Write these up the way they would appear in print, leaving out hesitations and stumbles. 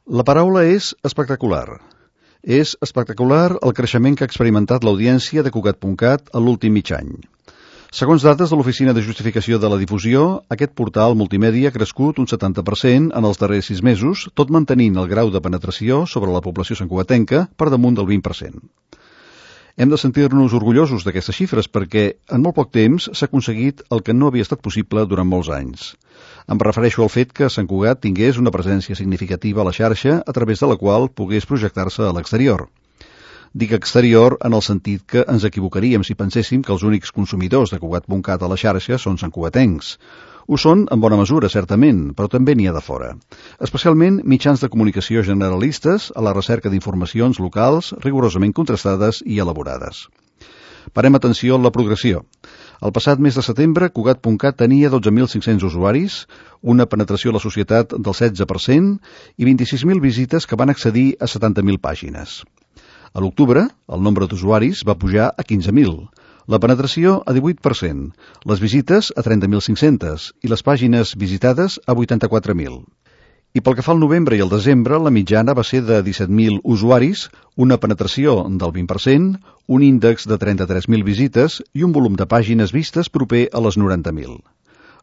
La paraula és espectacular. És espectacular el creixement que ha experimentat l'audiència de Cugat.cat a l'últim mig any. Segons dades de l'Oficina de Justificació de la Difusió, aquest portal multimèdia ha crescut un 70% en els darrers 6 mesos, tot mantenint el grau de penetració sobre la població santcugatenca per damunt del 20%. Hem de sentir-nos orgullosos d'aquestes xifres perquè en molt poc temps s'ha aconseguit el que no havia estat possible durant molts anys. Em refereixo al fet que Sant Cugat tingués una presència significativa a la xarxa a través de la qual pogués projectar-se a l'exterior. Dic exterior en el sentit que ens equivocaríem si penséssim que els únics consumidors de Cugat.cat a la xarxa són santcugatencs. Ho són en bona mesura, certament, però també n'hi ha de fora. Especialment mitjans de comunicació generalistes a la recerca d'informacions locals rigorosament contrastades i elaborades. Parem atenció a la progressió. El passat mes de setembre, Cugat.cat tenia 12.500 usuaris, una penetració a la societat del 16% i 26.000 visites que van accedir a 70.000 pàgines. A l'octubre, el nombre d'usuaris va pujar a 15.000, la penetració a 18%, les visites a 30.500 i les pàgines visitades a 84.000. I pel que fa al novembre i al desembre, la mitjana va ser de 17.000 usuaris, una penetració del 20%, un índex de 33.000 visites i un volum de pàgines vistes proper a les 90.000.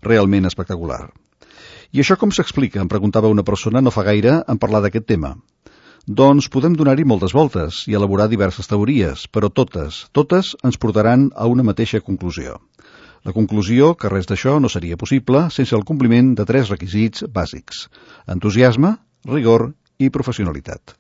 Realment espectacular. I això com s'explica? Em preguntava una persona no fa gaire en parlar d'aquest tema. Doncs podem donar-hi moltes voltes i elaborar diverses teories, però totes ens portaran a una mateixa conclusió. La conclusió que res d'això no seria possible sense el compliment de 3 requisits bàsics: entusiasme, rigor i professionalitat.